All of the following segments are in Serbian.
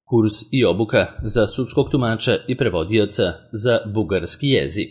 Kurs i obuka za sudskog tumača i prevodioca za bugarski jezik.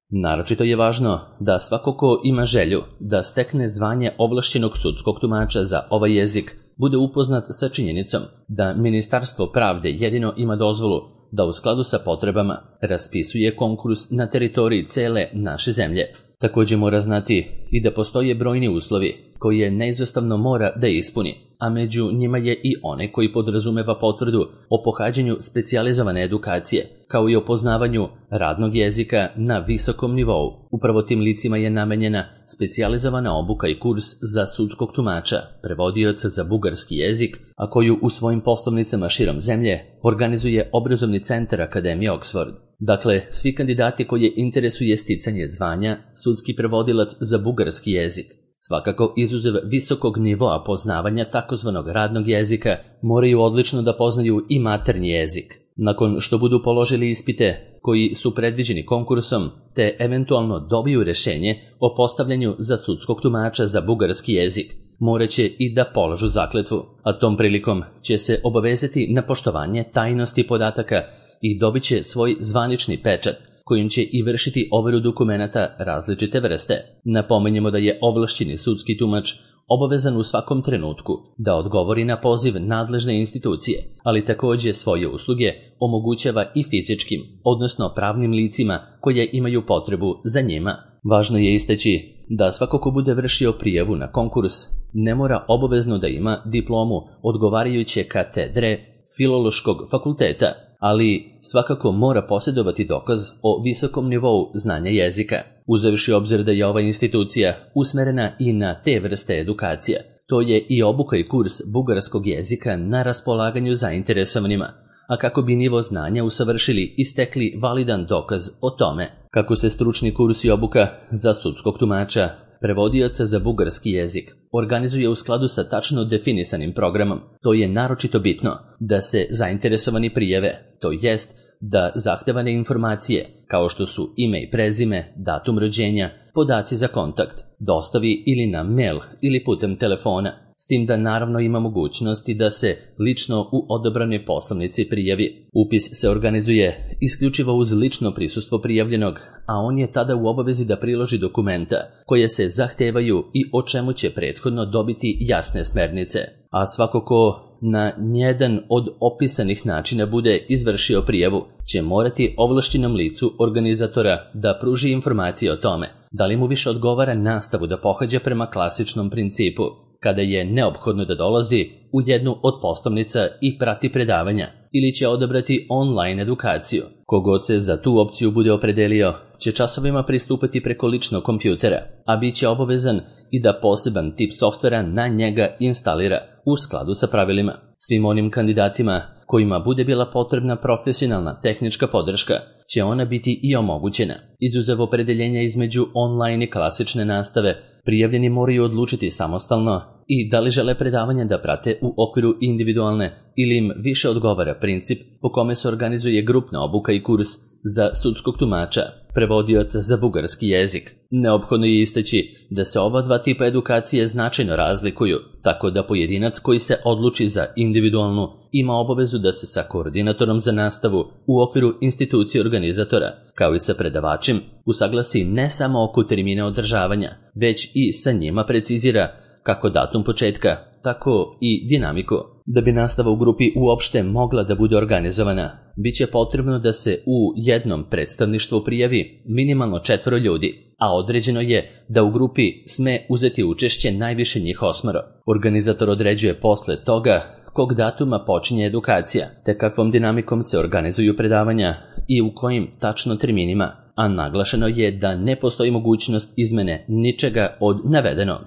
Naročito je važno da svako ko ima želju da stekne zvanje ovlašćenog sudskog tumača za ovaj jezik bude upoznat sa činjenicom da Ministarstvo pravde jedino ima dozvolu da u skladu sa potrebama raspisuje konkurs na teritoriji cele naše zemlje. Također mora znati i da postoje brojni uslovi koje neizostavno mora da ispuni, a među njima je i one koji podrazumeva potvrdu o pohađanju specijalizovane edukacije, kao i o poznavanju radnog jezika na visokom nivou. Upravo tim licima je namenjena specijalizovana obuka i kurs za sudskog tumača, prevodioca za bugarski jezik, a koju u svojim poslovnicama širom zemlje organizuje obrazovni centar Akademije Oxford. Dakle, svi kandidati koje interesuje sticanje zvanja sudski prevodilac za bugarski jezik, svakako izuzev visokog nivoa poznavanja takozvanog radnog jezika, moraju odlično da poznaju i maternji jezik. Nakon što budu položili ispite koji su predviđeni konkursom, te eventualno dobiju rešenje o postavljanju za sudskog tumača za bugarski jezik, moraće i da polažu zakletvu, a tom prilikom će se obavezati na poštovanje tajnosti podataka i dobit će svoj zvanični pečat, kojim će i vršiti overu dokumenata različite vrste. Napomenjemo da je ovlašćeni sudski tumač obavezan u svakom trenutku da odgovori na poziv nadležne institucije, ali također svoje usluge omogućava i fizičkim, odnosno pravnim licima koje imaju potrebu za njima. Važno je istaći da svako ko bude vršio prijavu na konkurs ne mora obavezno da ima diplomu odgovarajuće katedre Filološkog fakulteta, ali svakako mora posjedovati dokaz o visokom nivou znanja jezika. Uzevši obzir da je ova institucija usmerena i na te vrste edukacija, to je i obuka i kurs bugarskog jezika na raspolaganju zainteresovanima, a kako bi nivo znanja usavršili i stekli validan dokaz o tome. Kako se stručni kurs i obuka za sudskog tumača, prevodioca za bugarski jezik organizuje u skladu sa tačno definisanim programom, to je naročito bitno da se zainteresovani prijave, to jest da zahtevane informacije, kao što su ime i prezime, datum rođenja, podaci za kontakt, dostavi ili na mail ili putem telefona, s tim da naravno ima mogućnosti da se lično u odobranoj poslovnici prijavi. Upis se organizuje isključivo uz lično prisustvo prijavljenog, a on je tada u obavezi da priloži dokumenta koje se zahtevaju i o čemu će prethodno dobiti jasne smernice. A svako ko na jedan od opisanih načina bude izvršio prijavu, će morati ovlašćenom licu organizatora da pruži informacije o tome da li mu više odgovara nastavu da pohađa prema klasičnom principu, kada je neophodno da dolazi u jednu od poslovnica i prati predavanja, ili će odabrati online edukaciju. Kogod se za tu opciju bude opredelio, će časovima pristupati preko ličnog kompjutera, a bit će obavezan i da poseban tip softvera na njega instalira u skladu sa pravilima. Svim onim kandidatima kojima bude bila potrebna profesionalna tehnička podrška, će ona biti i omogućena. Izuzev opredeljenja između online i klasične nastave, prijavljeni moraju odlučiti samostalno i da li žele predavanja da prate u okviru individualne ili im više odgovara princip po kome se organizuje grupna obuka i kurs za sudskog tumača, prevodioca za bugarski jezik. Neophodno je istaći da se ova dva tipa edukacije značajno razlikuju, tako da pojedinac koji se odluči za individualnu ima obavezu da se sa koordinatorom za nastavu u okviru institucije organizatora, kao i sa predavačem, usaglasi ne samo oko termina održavanja, već i sa njima precizira kako datum početka, tako i dinamiku. Da bi nastava u grupi uopšte mogla da bude organizovana, bit će potrebno da se u jednom predstavništvu prijavi minimalno 4 ljudi, a određeno je da u grupi sme uzeti učešće najviše njih 8. Organizator određuje posle toga kog datuma počinje edukacija, te kakvom dinamikom se organizuju predavanja i u kojim tačno terminima, a naglašeno je da ne postoji mogućnost izmene ničega od navedenog.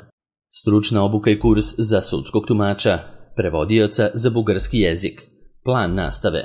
Stručna obuka i kurs za sudskog tumača, prevodioca za bugarski jezik. Plan nastave.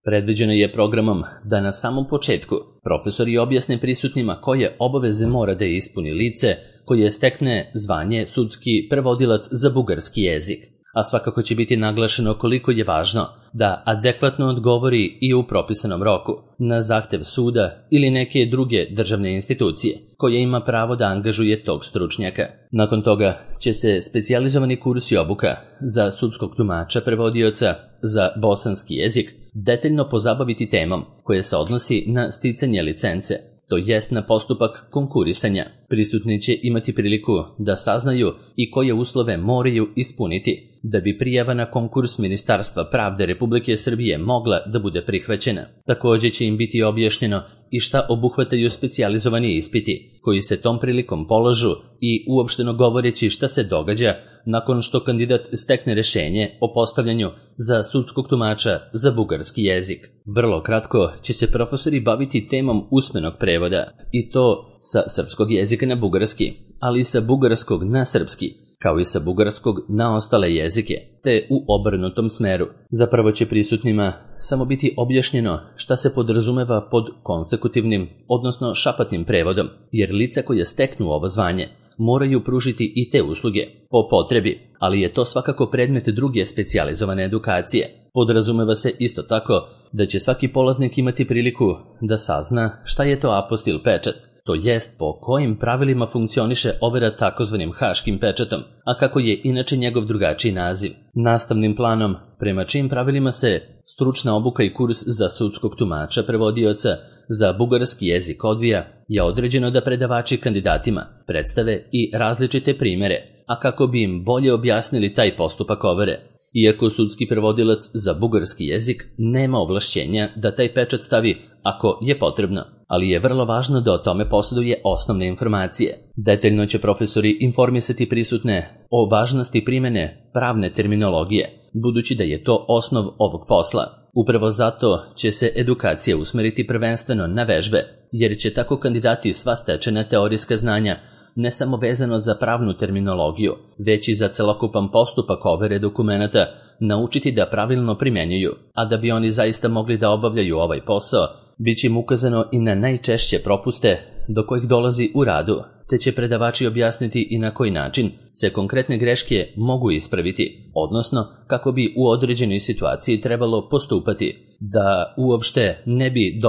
Predviđeno je programom da na samom početku profesori objasne prisutnima koje obaveze mora da ispuni lice koje stekne zvanje sudski prevodilac za bugarski jezik. A svakako će biti naglašeno koliko je važno da adekvatno odgovori i u propisanom roku na zahtev suda ili neke druge državne institucije koja ima pravo da angažuje tog stručnjaka. Nakon toga će se specijalizovani kurs i obuka za sudskog tumača prevodioca za bosanski jezik detaljno pozabaviti temom koja se odnosi na sticanje licence, to jest na postupak konkurisanja. Prisutni će imati priliku da saznaju i koje uslove moraju ispuniti da bi prijava na konkurs Ministarstva pravde Republike Srbije mogla da bude prihvaćena. Također će im biti objašnjeno i šta obuhvataju specijalizovani ispiti koji se tom prilikom polažu i uopšteno govoreći šta se događa nakon što kandidat stekne rešenje o postavljanju za sudskog tumača za bugarski jezik. Vrlo kratko će se profesori baviti temom usmenog prevoda i to sa srpskog jezika na bugarski, ali i sa bugarskog na srpski, kao i sa bugarskog na ostale jezike, te u obrnutom smeru. Zapravo će prisutnima samo biti objašnjeno šta se podrazumeva pod konsekutivnim, odnosno šapatnim prevodom, jer lica koja steknu ovo zvanje moraju pružiti i te usluge po potrebi, ali je to svakako predmet druge specijalizovane edukacije. Podrazumeva se isto tako da će svaki polaznik imati priliku da sazna šta je to apostil pečat, to jest po kojim pravilima funkcioniše overa takozvanim haškim pečatom, a kako je inače njegov drugačiji naziv. Nastavnim planom, prema čijim pravilima se stručna obuka i kurs za sudskog tumača prevodioca za bugarski jezik odvija, je određeno da predavači kandidatima predstave i različite primere, a kako bi im bolje objasnili taj postupak overe. Iako sudski prevodilac za bugarski jezik nema ovlašćenja da taj pečat stavi ako je potrebno, ali je vrlo važno da o tome posjeduje osnovne informacije. Detaljno će profesori informisati prisutne o važnosti primene pravne terminologije, budući da je to osnov ovog posla. Upravo zato će se edukacija usmeriti prvenstveno na vežbe, jer će tako kandidati sva stečena teorijska znanja ne samo vezano za pravnu terminologiju, već i za celokupan postupak overe dokumenata naučiti da pravilno primjenjuju, a da bi oni zaista mogli da obavljaju ovaj posao, bit će im ukazano i na najčešće propuste do kojih dolazi u radu, te će predavači objasniti i na koji način se konkretne greške mogu ispraviti, odnosno kako bi u određenoj situaciji trebalo postupati, da uopšte ne bi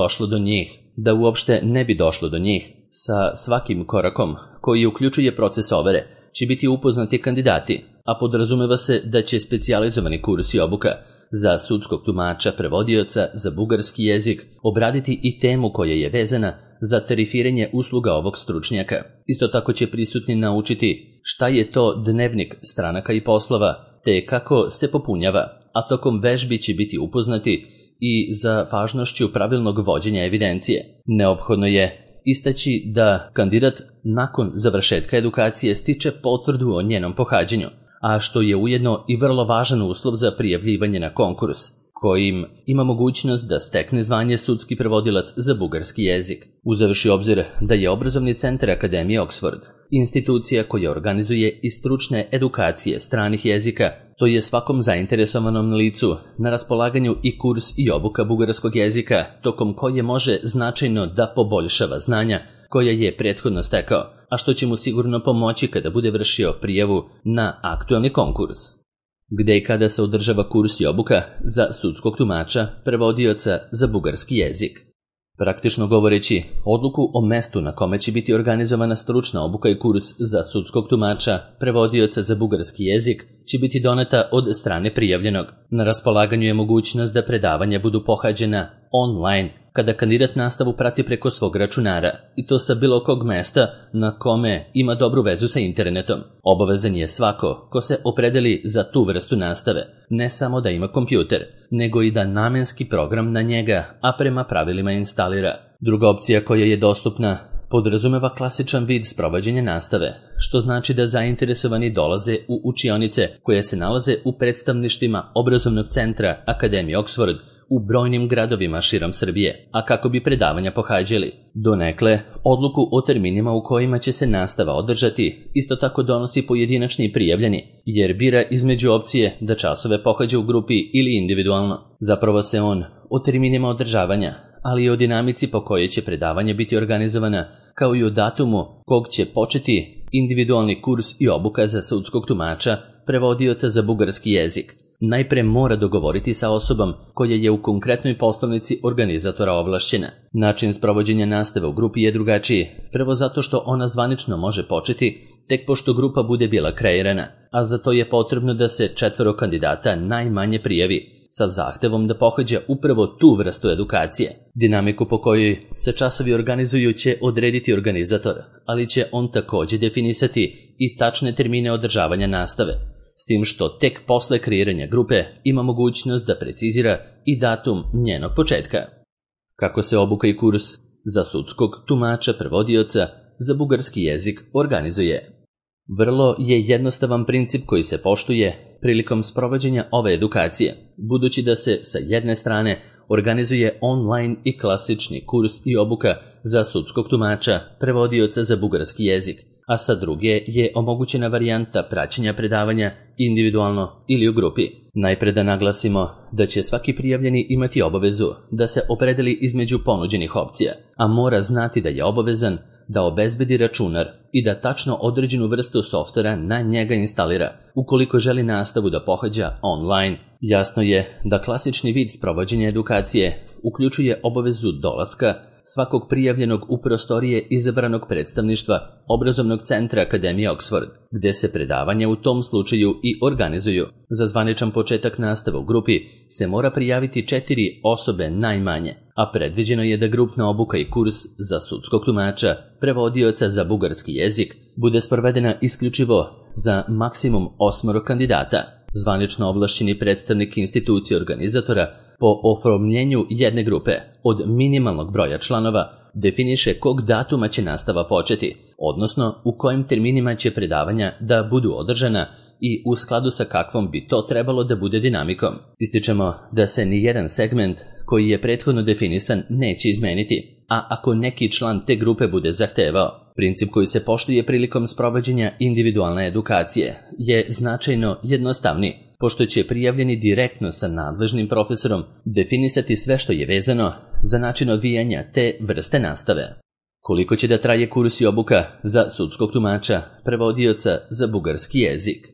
došlo do njih. Sa svakim korakom koji uključuje proces overe će biti upoznati kandidati, a podrazumeva se da će specijalizovani kurs i obuka za sudskog tumača prevodioca za bugarski jezik obraditi i temu koja je vezana za tarifiranje usluga ovog stručnjaka. Isto tako će prisutni naučiti šta je to dnevnik stranaka i poslova, te kako se popunjava, a tokom vežbi će biti upoznati i za važnošću pravilnog vođenja evidencije. Neophodno je istaći da kandidat nakon završetka edukacije stiče potvrdu o njenom pohađanju, a što je ujedno i vrlo važan uslov za prijavljivanje na konkurs, kojim ima mogućnost da stekne zvanje sudski prevodilac za bugarski jezik. Uzevši obzir da je obrazovni centar Akademije Oxford institucija koja organizuje i stručne edukacije stranih jezika, to je svakom zainteresovanom licu na raspolaganju i kurs i obuka bugarskog jezika, tokom koje može značajno da poboljšava znanja koja je prethodno stekao, a što će mu sigurno pomoći kada bude vršio prijavu na aktualni konkurs. Gde i kada se održava kurs i obuka za sudskog tumača prevodioca za bugarski jezik? Praktično govoreći, odluku o mestu na kome će biti organizovana stručna obuka i kurs za sudskog tumača prevodioca za bugarski jezik će biti doneta od strane prijavljenog. Na raspolaganju je mogućnost da predavanja budu pohađena online, kada kandidat nastavu prati preko svog računara, i to sa bilo kog mesta na kome ima dobru vezu sa internetom. Obavezan je svako ko se opredeli za tu vrstu nastave, ne samo da ima kompjuter, nego i da namenski program na njega, a prema pravilima instalira. Druga opcija koja je dostupna podrazumeva klasičan vid sprovođenja nastave, što znači da zainteresovani dolaze u učionice koje se nalaze u predstavništvima obrazovnog centra Akademije Oxford u brojnim gradovima širom Srbije, a kako bi predavanja pohađali. Donekle, odluku o terminima u kojima će se nastava održati isto tako donosi pojedinačni prijavljeni, jer bira između opcije da časove pohađa u grupi ili individualno. Zapravo se on o terminima održavanja, ali i o dinamici po kojoj će predavanje biti organizovana, kao i o datumu kog će početi individualni kurs i obuka za sudskog tumača prevodioca za bugarski jezik, najpre mora dogovoriti sa osobom koja je u konkretnoj poslovnici organizatora ovlašćena. Način sprovođenja nastave u grupi je drugačiji, prvo zato što ona zvanično može početi tek pošto grupa bude bila kreirana, a za to je potrebno da se 4 kandidata najmanje prijavi, sa zahtevom da pohađa upravo tu vrstu edukacije. Dinamiku po kojoj se časovi organizuju će odrediti organizator, ali će on takođe definisati i tačne termine održavanja nastave, s tim što tek posle kreiranja grupe ima mogućnost da precizira i datum njenog početka. Kako se obuka i kurs za sudskog tumača prevodioca za bugarski jezik organizuje? Vrlo je jednostavan princip koji se poštuje prilikom sprovođenja ove edukacije, budući da se sa jedne strane organizuje online i klasični kurs i obuka za sudskog tumača prevodioca za bugarski jezik, a sa druge je omogućena varijanta praćenja predavanja individualno ili u grupi. Najpre da naglasimo da će svaki prijavljeni imati obavezu da se opredeli između ponuđenih opcija, a mora znati da je obavezan da obezbedi računar i da tačno određenu vrstu softvera na njega instalira ukoliko želi nastavu da pohađa online. Jasno je da klasični vid sprovođenja edukacije uključuje obavezu dolaska svakog prijavljenog u prostorije izabranog predstavništva obrazovnog centra Akademije Oxford, gde se predavanja u tom slučaju i organizuju. Za zvaničan početak nastave u grupi se mora prijaviti 4 osobe najmanje, a predviđeno je da grupna obuka i kurs za sudskog tumača prevodioca za bugarski jezik bude sprovedena isključivo za maksimum 8 kandidata. Zvanično ovlašćeni predstavnik institucije organizatora po oformljenju jedne grupe od minimalnog broja članova definiše kog datuma će nastava početi, odnosno u kojim terminima će predavanja da budu održana i u skladu sa kakvom bi to trebalo da bude dinamikom. Ističemo da se ni jedan segment koji je prethodno definisan neće izmeniti, a ako neki član te grupe bude zahtevao. Princip koji se poštuje prilikom sprovođenja individualne edukacije je značajno jednostavniji, pošto će prijavljeni direktno sa nadležnim profesorom definisati sve što je vezano za način odvijanja te vrste nastave. Koliko će da traje kurs i obuka za sudskog tumača prevodioca za bugarski jezik?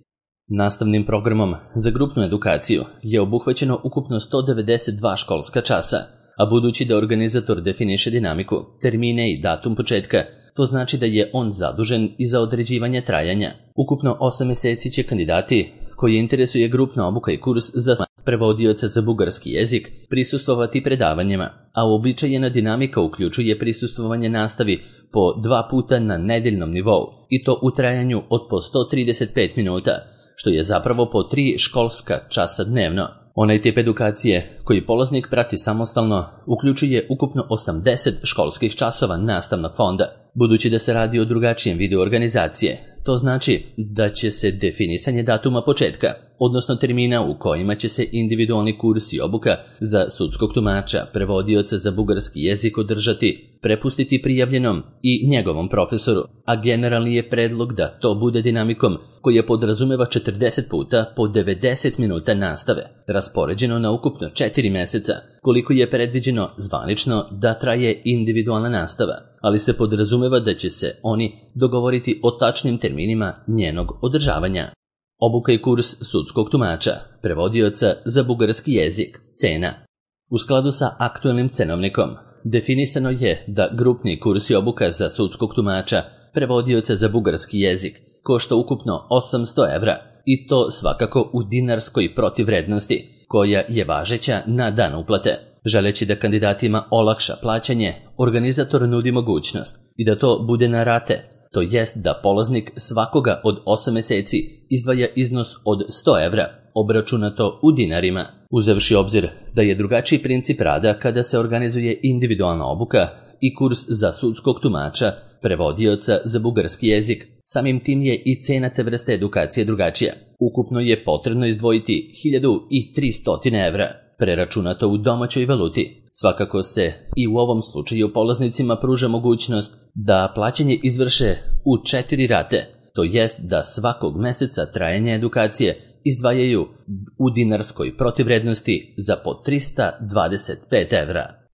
Nastavnim programom za grupnu edukaciju je obuhvaćeno ukupno 192 školska časa, a budući da organizator definiše dinamiku, termine i datum početka, to znači da je on zadužen i za određivanje trajanja. Ukupno 8 meseci će kandidati koji interesuje grupna obuka i kurs za prevodioca za bugarski jezik prisustvovati predavanjima, a uobičajena dinamika uključuje prisustvovanje nastavi po 2 puta na nedeljnom nivou i to u trajanju od po 135 minuta, što je zapravo po 3 školska časa dnevno. Onaj tip edukacije koji polaznik prati samostalno uključuje ukupno 80 školskih časova nastavnog fonda. Budući da se radi o drugačijem vidu organizacije, to znači da će se definisanje datuma početka, odnosno termina u kojima će se individualni kurs i obuka za sudskog tumača prevodioca za bugarski jezik održati, prepustiti prijavljenom i njegovom profesoru, a generalni je predlog da to bude dinamikom koja podrazumeva 40 puta po 90 minuta nastave, raspoređeno na ukupno 4 meseca, koliko je predviđeno zvanično da traje individualna nastava, ali se podrazumeva da će se oni dogovoriti o tačnim terminima njenog održavanja. Obuka i kurs sudskog tumača prevodioca za bugarski jezik. Cena. U skladu sa aktualnim cenovnikom definisano je da grupni kurs i obuka za sudskog tumača prevodioca za bugarski jezik košta ukupno 800 evra, i to svakako u dinarskoj protivvrednosti, koja je važeća na dan uplate. Želeći da kandidatima olakša plaćanje, organizator nudi mogućnost i da to bude na rate, to jest da polaznik svakoga od 8 meseci izdvaja iznos od 100 evra, obračunato u dinarima. Uzevši obzir da je drugačiji princip rada kada se organizuje individualna obuka i kurs za sudskog tumača prevodioca za bugarski jezik, samim tim je i cena te vrste edukacije drugačija. Ukupno je potrebno izdvojiti 1300 evra, preračunato u domaćoj valuti. Svakako se i u ovom slučaju polaznicima pruža mogućnost da plaćanje izvrše u 4 rate, to jest da svakog meseca trajanja edukacije izdvajaju u dinarskoj protivvrednosti za po 325 evra.